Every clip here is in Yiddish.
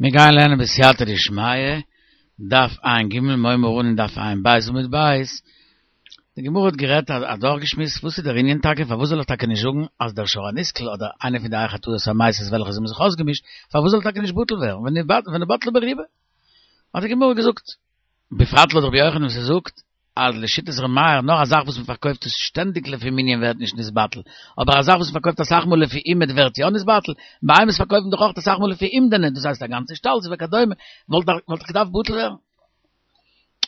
מיר גייען לערנען בסייעתא דשמיא, דף ע"ג, מיר הייבן אן אין דף ע"ב עמוד ב', די גמרא האט גערעדט אדורכגעשמועסט וואס איז דער ענין טאקע פארוואס זאל איך טאקע נישט זאגן אז דער שור הנסקל אדער איינע פון די חטאות המתות וועלכע זיי האבן זיך אויסגעמישט פארוואס זאל טאקע נישט בטל ווערן ונבטלה ברובה האט די גמרא געזאגט בפרט לויט רבי יוחנן וואס ער זאגט אז לשיטת ר' מאיר נאר א זאך וואס מ'פארקויפט עס שטענדיג לפי מנין ווערט נישט נתבטל, אבער א זאך וואס מ'פארקויפט אסאך מאל לפי אומד ווערט יא נתבטל, בהמות פארקויפט מען דאך אויך אסאך מאל לפי אומדנא, דאס הייסט א גאנצע שטאל וכדומה, וואלט דאך געדארפט בטל ווערן.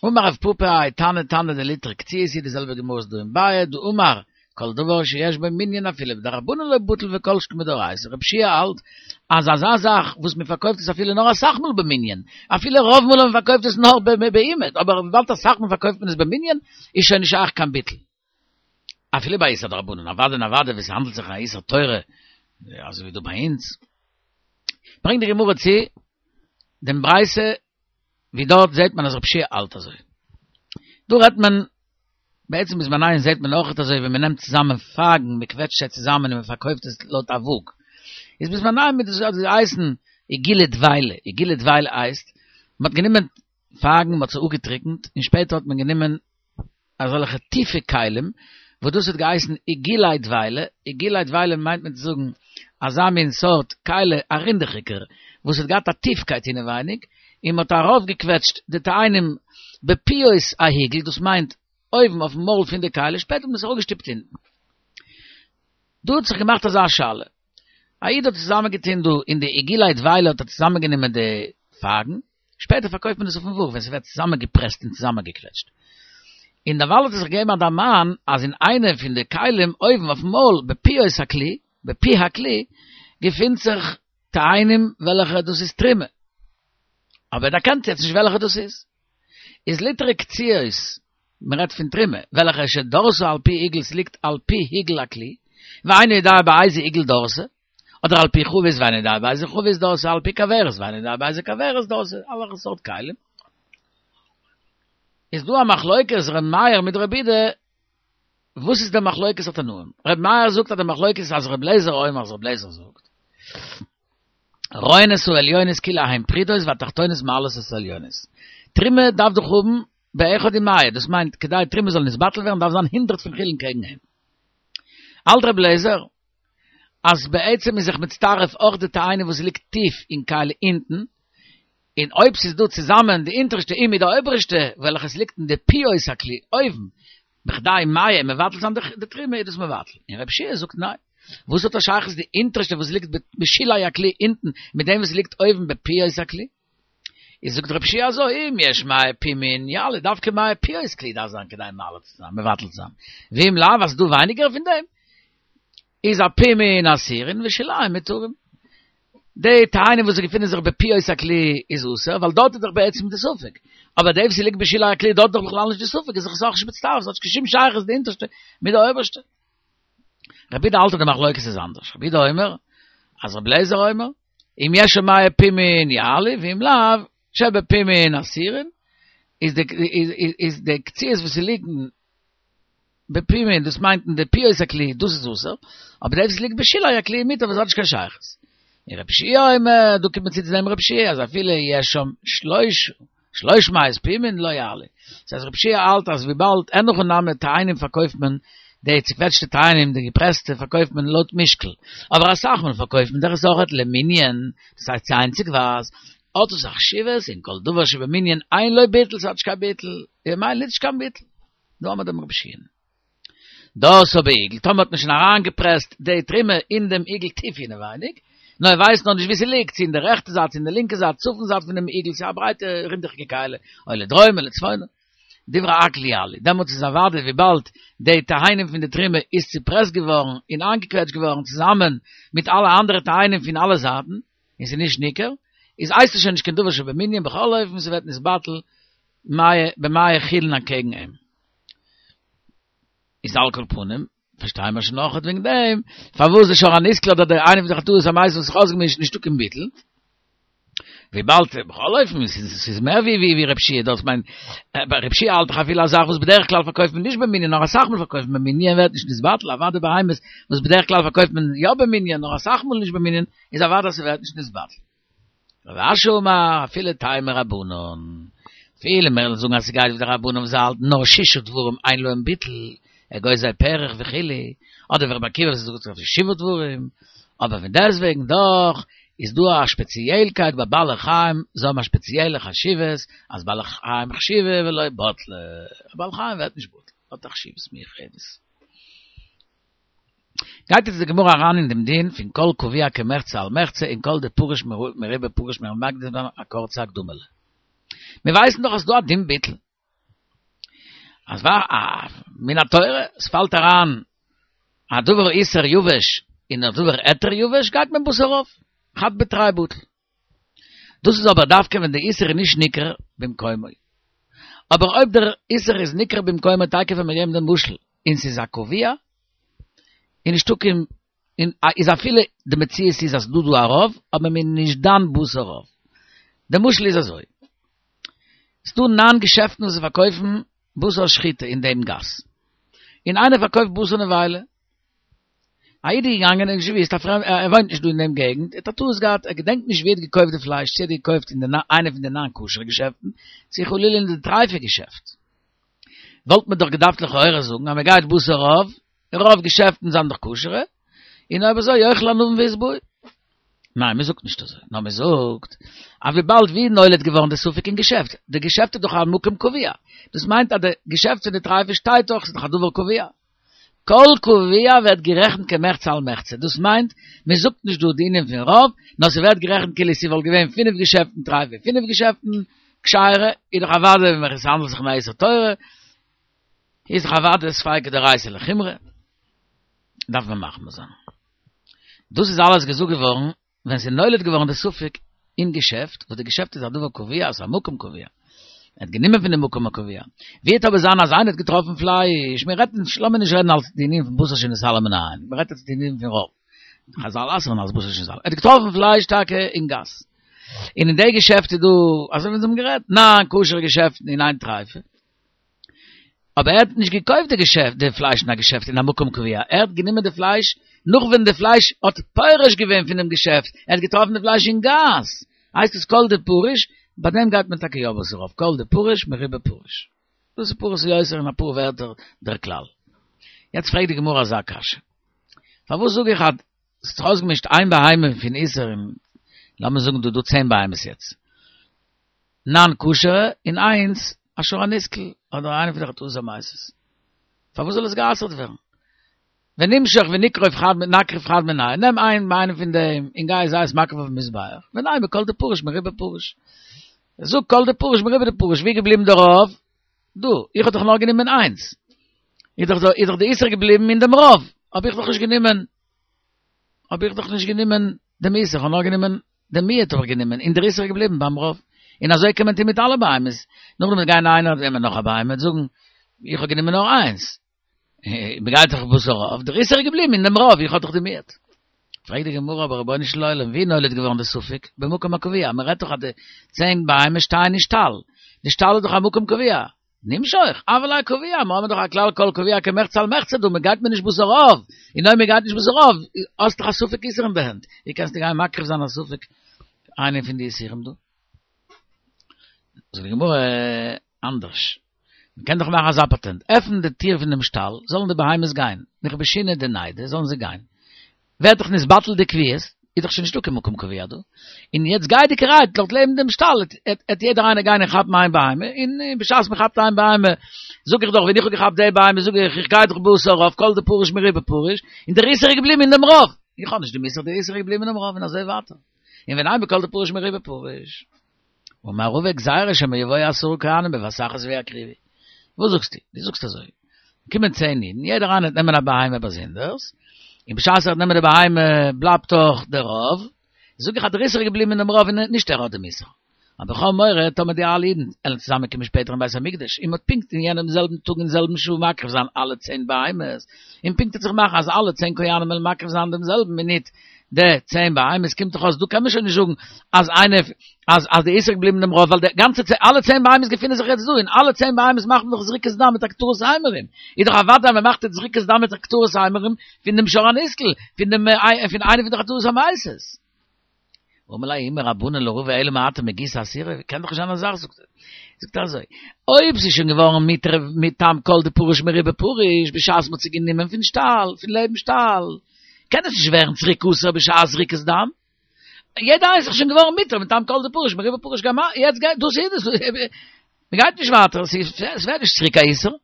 אמר רב פפא האי תנא תנא דליטרי קציעות היא די זעלבע גמרא איז דא אין ביעא דאמר כל דבר שיש בו מנין אפילו בדרבנן לא בטל וכל שכן מדאורייתא, רב שיע האלט אז אזא זאך וואס מען פארקויפט עס אפילו נאר אסאך מאל במנין, אפילו רוב מאל מען פארקויפט עס נאר באומד, אבער וויבאלד אסאך מאל פארקויפט מען עס במנין איז שוין נישט שייך קיין ביטול. אפילו ביי איסור דרבנן, אוודאי און אוודאי ווען ס'האנדלט זיך א איסור תורה, אזוי ווי דא ביי אונז. ברענגט די גמרא צו דעם ברייתא ווי דארט זעט מען אז רב שיע האלט אזוי. דא רעדט מען, בעצם בזמנינו זעט מען אויכעט אזוי ווען מען נעמט צוזאמען פייגן, מען קוועטשט זיי צוזאמען און מען פארקויפט עס לויט א וואג. איז בזמנינו מיט דאס האט געהייסן עיגולי דבילה, עיגולי דבילה הייסט, מען האט גענומען פייגן, מען האט זיי אפגעטריקנט, און שפעטער האט מען גענומען אזעלכע טיפע כלים, וואס דאס האט געהייסן עיגולי דבילה, עיגולי דבילה מיינט מען צו זאגן אזא מין סארט כלי א רינדעכיגער, וואס האט געהאט א טיפקייט אינעווייניג, און מען האט ארויפגעקוועטשט די תאנים בפיות העיגול, דאס מיינט אויבן אויפן מויל פון די כלי, שפעטער האט מען עס אראפגעשטופט אונטן. דא האט זיך געמאכט אזא שאלה, א איד האט צוזאמען געטון דא אין די עיגולי דבילה האט ער צוזאמען גענומען די פייגן, שפעטער פארקויפט מען עס אויפן וואג ווען ס'ווערט צוזאמען געפרעסט און צוזאמען געקוועטשט. און דערווייל האט ער זיך געגעבן א דערמאן אז אין איינע פון די כלים אויבן אויפן מויל בפיות הכלי, בפי הכלי, געפינט זיך תאנים וועלכע דאס איז תרומה. אבער ער דערקענט יעצט נישט וועלכע דאס איז. איז ליטרי קציעות, מען רעדט פון תרומה, וועלכע שדרתה על פי עיגול ס'ליגט על פי עיגול הכלי, ואינו יודע באיזה עיגול דרתה, אדער על פי חבית ואינו יודע באיזה חבית דרתה על פי כוורת ואינו יודע באיזה כוורת דרתה, אלע סארט כלים. איז דא א מחלוקת ר' מאיר מיט ר' יהודה, וואס איז די מחלוקת התנאים? ר' מאיר זאגט אז די מחלוקת איז אז ר' לעזער אומר אז ר' לעזער זאגט רואין את העליונות כאילו הן פרודות והתחתונות מעלות את העליונות. תרומה דארף דאך האבן באחד ומאה, דאס מיינט כדי תרומה זאל נתבטל ווערן דארף זיין הונדרעט פון חולין קעגן אים. האלט ר' לעזער אז בעצם איז זיך מצטרף אויך די תאנים וואס ליגט טיף אין כלי אונטן, און אויב ס'איז דא צוזאמען די אונטערשטע און מיט די אויבערשטע וועלכע ס'ליגט אין די פיות הכלי אויבן, בכדי מאה מבטל זיין די תרומה איז דאס מבטל. און רב שיע זאגט ניין. וואס האט א שייכות די אונטערשטע וואס ליגט בשולי הכלי אונטן מיט דעם וואס ליגט אויבן בפיות הכלי? איז זאגט רב שיע אזוי, אם יש מאה פומין יעלה, דווקא מאה פיות כלי דארף זיין כדי מעלה צו זיין, מבטל צו זיין, ואם לאו אז ס'דא ווייניגער פון דעם, איז הפומין אסורין ושוליים מותרים. די תאנים וואס געפינען זיך בפיות הכלי איז אסור, ווייל דארט איז דאך בעצם די ספק. אבער די וואס ליגט בשולי הכלי דארט איז דאך בכלל נישט די ספק, איז זיך עס אויך נישט מצטרף, ס'האט נישט קיין שום שייכות די אונטערשטע מיט די אויבערשטע. רבי יהודה האלט אז די מחלוקת איז אנדערש. רבי יהודה אומר, אז רבי אליעזר אומר, אם יש שם מאה פומין יעלה, ואם לאו, שבפומין אסורין, איז די איז די קציעות וואס ליגן בפומין, דאס מיינט אין די פיות הכלי, דאס איז אסור, אבער די וואס ליגט בשולי הכלי מותר וואס האט נישט קיין שייכות. און רבי יהושע אומר, דא קומט מען צו צו דעם רבי יהושע אז אפילו יש שם שלוש שלוש מאות פומין לא יעלה. דאס הייסט רבי יהושע האלט אז וויבאלד אין הכי נמי תאנים פארקויפט מען די צוקוועטשטע תאנים די געפרעסטע פארקויפט מען לויט משקל, אבער אסאך מאל פארקויפט מען דאך עס אויכעט למנין, דאס הייסט צו איינציגווייז, האט עס א חשיבות און כל דבר שבמנין אין לו ביטול ס'האט נישט קיין ביטול, ממילא נישט קיין ביטול. דא האמער דעם רבי יהושע'ן. דרתה בעיגול, טאמער האט מען שוין אריינגעפרעסט די תרומה אין דעם עיגול טיף אינעווייניג, נאר ער ווייסט נאך נישט וואו ס'ליגט, צו אין די רעכטע זייט צו אין די לינקע זייט, צפון זייט פונעם עיגול, ס'איז א ברייטע רינדעכיגע כלי, או לדרום או לצפון, דברי הכל יעלה, דעמאלטס איז אוודאי וויבאלד די תאנים פון די תרומה איז צופרעסט געווארן און איינגעקוועטשט געווארן צוזאמען מיט אלע אנדערע תאנים פון אלע זייטן, און ס'איז נישט ניכר, איז הייסט עס שוין נישט קיין דבר שבמנין בכל אופן ס'ווערט נתבטל במאה חולין אקעגן אים. איז על כל פנים, פארשטייען מיר שוין אויכעט וועגן דעם, פארוואס די שור הנסקל אדער די איינע פון די חטאות המתות וואס זיך אויסגעמישט נישטא קיין ביטול, וויבאלד בכל אופן ס'איז מער ווי ווי רב שיע דאס מיינט רב שיע האלט דאך אפילו א זאך וואס בדרך כלל פארקויפט מען נישט במנין נאר אסאך מאל פארקויפט מען במנין ווערט נישט נתבטל אוודאי בהמות וואס בדרך כלל פארקויפט מען יא במנין נאר אסאך מאל נישט במנין איז אוודאי אז ס'ווערט נישט נתבטל. רב אשי אמר, אפילו טעמא רבנן. אפילו מיר וועלן זאגן אז ס'גייט ווי די רבנן וואס האלטן נאר שישה דברים אין להם ביטול, אגוזי פרך וכו', אדער ווי רבי עקיבא וואס זאגט אויף שבעה דברים, אבער פון דעסטוועגן דאך איז דא א שפעציעלקייט ביי בעלי חיים, זיי האבן א שפעציעלע חשיבות, אז בעלי חיים חשיבי ולא בטלי, א בעל חיים ווערט נישט בטל, האט א חשיבות מיוחדת. גייט יעצט די גמרא אריין אין דעם דין פון כל קבוע כמחצה על מחצה און כל דפריש מרובא פריש מיר מקדים זיין א קורצע הקדמה'לע. מיר ווייסן דאך אז ס'דא א דין ביטול. אז מן התורה, עס פאלט אריין א דבר איסור יבש אין א דבר היתר יבש גייט מען בתר רוב, חד בתרי בטל. דאס איז אבער דווקא ווען די איסור איז נישט ניכר במקומו. אבער אויב דער איסור איז ניכר במקומו תיכף ווען מיר געבן דעם משל און ס'איז א קבוע און נישטא קיין און איז אפילו די מציאות איז אז ס'דא דא א רוב אבער מ'איז נישט דן בתר רוב. די משל איז אזוי. ס'דא ניין געשעפטן וואס פארקויפן בשר שחיטה אין דעם גאס. און איינער פארקויפט בשר נבילה. א איד איז געגאנגען און נישט געוואוסט, א פרעמד, ער וואוינט נישט דא אין דעם געגנט, ער האט א טעות געהאט, ער געדענקט נישט ווי ער האט געקויפט די פלייש, צו ער האט געקויפט אין די איינע פון די ניין כשר'ע געשעפטן, צו חלילה אין די טרייפע געשעפט. וואלט מען דאך געדארפט לכאורה זאגן אז מען גייט בתר רוב, רוב געשעפטן זענען דאך כשר'ע, און אויב אזוי יאכלו ענבים וישבעו. ניין, מען זאגט נישט אזוי, נאר מען זאגט אז וויבאלד ווי נולד געווארן די ספק אין געשעפט, די געשעפט איז דאך א מקום קבוע, דאס מיינט אז די געשעפט פון די טרייפע שטייט דאך, ס'איז דאך א דבר קבוע. כל קבוע ווערט גערעכנט כמחצה על מחצה, דאס מיינט, מען זאגט נישט דא די ענין פון רוב, נאר ס'ווערט גערעכנט כאילו ס'וואלט געווען פינף געשעפטן טרייפע, פינף געשעפטן כשר'ע, איז דאך אוודאי ווען עס האנדלט זיך אין א איסור תורה, איז דאך אוודאי ספיקא דאורייתא לחומרא, דארף מען מחמיר זיין. דאס איז אלעס געזאגט געווארן ווען ס'איז נולד געווארן די ספק אין געשעפט, וואס די געשעפט איז א דבר קבוע, ס'איז א מקום קבוע, ער האט גענומען פון די מקום הקבוע. ווי וועט אבער זיין אז איינער האט געטראפן פלייש, מיר רעדט נישט, לאמיר נישט רעדן אלס די ענין פון בשר שנתעלם מן העין, מיר רעדט יעצט די ענין פון רוב, חזל אסר'ן אלס בשר שנתעלם, ער האט געטראפן פלייש טאקע אין גאס, און אין די געשעפט איז דא, אזוי ווי אונז האבן גערעדט, ניין כשר'ע געשעפטן און איין טרייפע. אבער ער האט נישט געקויפט די געשעפט די פלייש אין א געשעפט אין א מקום קבוע, ער האט גענומען די פלייש נאך ווען די פלייש האט פורש געווען פונעם געשעפט, ער האט געטראפן די פלייש אין גאס, הייסט עס כל דפריש, ביי דעם גייט מען טאקע יא בתר רוב, כל דפריש מרובא פריש. דאס איז פחות או יותר אין אפאר ווערטער דער כלל. יעצט פרעגט די גמרא אזא קשיא, פארוואס זאג איך אז ס'האט זיך אויסגעמישט איין בהמה פון איסור און לאמיר זאגן דא דא צען בהמות יעצט, ניין כשר'ע און איינס א שור הנסקל אדער איינע פון די חטאות המתות. פארוואס זאל עס גע'אסר'ט ווערן? ונמשוך ונקרב חד נקריב חד מינייהו, נעם איין איינע פון דעם און גיי זיי עס מקריב אויפן מזבח, ונימא כל דפריש מרובא פריש. זאג כל דפריש מרובא דפריש, ווי איז געבליבן די רוב? דא, איך האב דאך נאר גענומען איינס. איז דאך איז דאך די איסור געבליבן אין דעם רוב, האב איך דאך נישט גענומען, האב איך דאך נישט גענומען דעם איסור, איך האב נאר גענומען דעם מיעוט האב איך גענומען, און דער איסור איז געבליבן ביים רוב. און אזוי קען מען טון מיט אלע בהמות. נאכדעם וועט גיין איינער נעמען נאך א בהמה און זאגן, איך האב גענומען נאר איינס. מען גייט דאך בתר רוב, דער איסור איז געבליבן אין דעם רוב, איך האב דאך די מיעוט. פרעגט די גמרא, אבער רבונו של עולם, ווי נולד געווארן די ספק? במקום הקבוע, מען רעדט דאך אז די צען בהמות שטייען אין שטאל, די שטאל איז דאך א מקום קבוע. נמשוך, הוה ליה קבוע, מיר האבן דאך א כלל כל קבוע כמחצה על מחצה דא, מען גייט מיר נישט בתר רוב, און אויב מען גייט נישט בתר רוב, האסט דאך א ספק איסור אין די הענט, ווי קענסטו גיין מקריב זיין א ספק איינע פון די איסורים דא? זאגט די גמרא אנדערש, מען קען דאך מאכן אזא פאטענט, עפן די טיר פון דעם שטאל, זאלן די בהמות גיין, נכבשינהו דניידי, זאלן זיי גיין, ווערט דאך נתבטל די קביעות, איז דאך שוין נישטא קיין מקום קבוע דא, און יעצט גייעדיגערהייט דארט לעבן דעם שטאל עט יעדער איינער גיין און כאפן איין בהמה, און בשעת מען כאפט איין בהמה, זאג איך דאך ווען איך האב געכאפט די בהמה זאג איך איך גיי דאך בתר רוב כל דפריש מרובא פריש, און דער איסור איז געבליבן אין דעם רוב, איך האב נישט דעם איסור, דער איסור איז געבליבן אין דעם רוב און אזוי ווייטער, און ונימא כל דפריש מרובא פריש. אמר רבא גזירה שמא יבואו עשרה כהנים בבת אחת ויקריבו. וואס זאגסטו? דו זאגסט אזוי. קומען צען אידן, יעדער איינער וועט נעמען א בהמה באזונדערס, און בשעת ער וועט נעמען די בהמה בלייבט דאך דער רוב, זאג איך אז דער איסור איז געבליבן אינעם רוב און נישט ער האט דעם איסור. אבער איך האב מורא טאמער די אלע אידן וועלן צוזאמען קומען שפעטער אין בית המקדש און מ'וועט פונקט אין יענעם זעלבן טאג אין זעלבן שעה מקריב זיין אלע צען בהמות, און פונקט וועט זיך מאכן אז אלע צען כהנים וועלן מקריב זיין דעם זעלבן מינוט די צען בהמות קומט דאך אויס דא קען מען שוין נישט זאגן אז איינע אז אז די איסור געבליבן דעם רוב ווייל די גאנצע צען אלע צען בהמות געפינען זיך יעצט דא און אלע צען בהמות מאכט מען דאך זריקת דם מיט הקטרת אימורים איז דאך אוודאי אז מען מאכט יעצט זריקת דם מיט הקטרת אימורים פון דעם שור הנסקל פון דעם פון איינע פון די חטאות המתות. אמר ליה ההוא מרבנן לרבא אלא מעתה מגיסא אסירא, קען דאך נישט זיין אזא זאך זאגט ער. זאגט ער אזוי, אויב ס'איז שוין געווארן מותר מטעם כל דפריש מרובא פריש בשעת מ'האט זי גענומען פון שטאל, פון לעבן שטאל, קען עס נישט ווערן צוריק אסור בשעת זריקת דם. יעדע איינס איז שוין געווארן מותר מטעם כל דפריש מרובא פריש יעצט גייט דאס איז עס, מ'גייט נישט ווייטער, ס'ווערט נישט צוריק א איסור,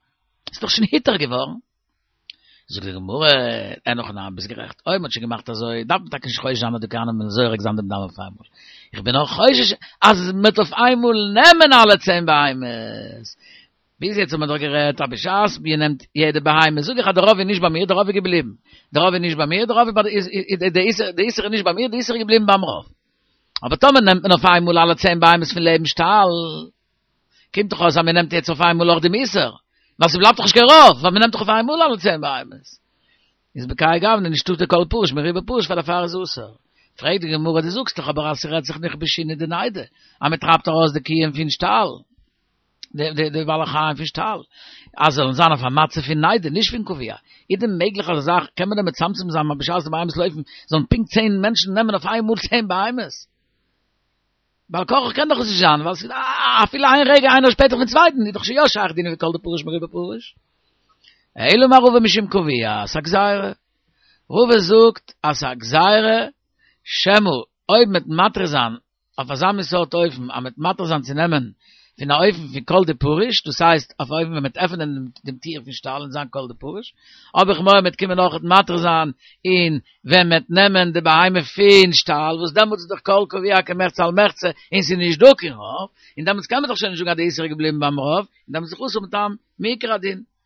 ס'איז דאך שוין היתר געווארן. זאגט די גמרא, אין הכי נמי, ביסט גערעכט, אויב מ'האט שוין געמאכט אזוי, דארף מען טאקע נישט חושש זיין אז די כהנים וועלן זורק זיין דעם דם אויף איינמאל. איך בין נאר חושש אז מ'וועט אויף איינמאל נעמען אלע צען בהמות. ביז יעצט האט מען דאך גערעדט אז בשעת מ'נעמט יעדע בהמה, זאג איך אז די רוב איז נישט ביי מיר, די רוב איז געבליבן. די רוב איז נישט ביי מיר, די רוב איז ביי די איסור, די איסור איז נישט ביי מיר, די איסור איז געבליבן ביים רוב. אבער טאמער נעמט מען אויף איינמאל אלע צען בהמות פון לעבן שטאל, קומט דאך אויס אז מען נעמט יעצט אויף איינמאל אויך דעם איסור, ווייל ס'בלייבט דאך נישט קיין רוב, ווייל מען נעמט דאך אויף איינמאל אלע צען בהמות. איז בכהאי גוונא נישטא די כל פריש מרובא פריש פאר דערפאר איז אסור. פרעגט די גמרא דו זאגסט דאך אבער אז ס'רעדט זיך נכבשינהו דניידי, אז מען טרייבט ארויס די קיען פון שטאל, די די בעלי חיים פון שטאל, אז זאלן זיין אויף א מצב פון ניידי נישט פון קבוע, איז דען מעגליך אזא זאך, קען מען דען מצמצם זיין אז בשעת די בהמות לויפן זאלן פונקט צען מענטשן נעמען אויף איינמאל צען בהמות? בעל כרחך קען דאך עס נישט זיין, ווייל ס'איז אפילו איין רגע איינער שפעטער פון צווייטן איז דאך שוין יא שייך דינא ווי כל דפריש מרובא פריש. אלא אמר רבא משום קבוע, ס'א גזירה. רבא זאגט אז ס'א גזירה שמא אויב מ'עט מתיר זיין אויף אזא מין סארט אופן אז מ'עט מתיר זיין צו נעמען פון א אופן פון כל דפריש, דאס הייסט אויף א אופן ווען מ'עט עפענען דעם טיר פון שטאל און זיין כל דפריש, האב איך מורא מ'עט קומען אויכעט מתיר זיין און ווען מ'וועט נעמען די בהמה פון שטאל, וואס דעמאלטס איז דאך כל קבוע כמחצה על מחצה, און ס'איז נישט דא קיין רוב, און דעמאלטס קען מען דאך שוין נישט זאגן אז די איסור איז געבליבן ביים רוב, און דעמאלטס איז דאך אסור מטעם מעיקר הדין.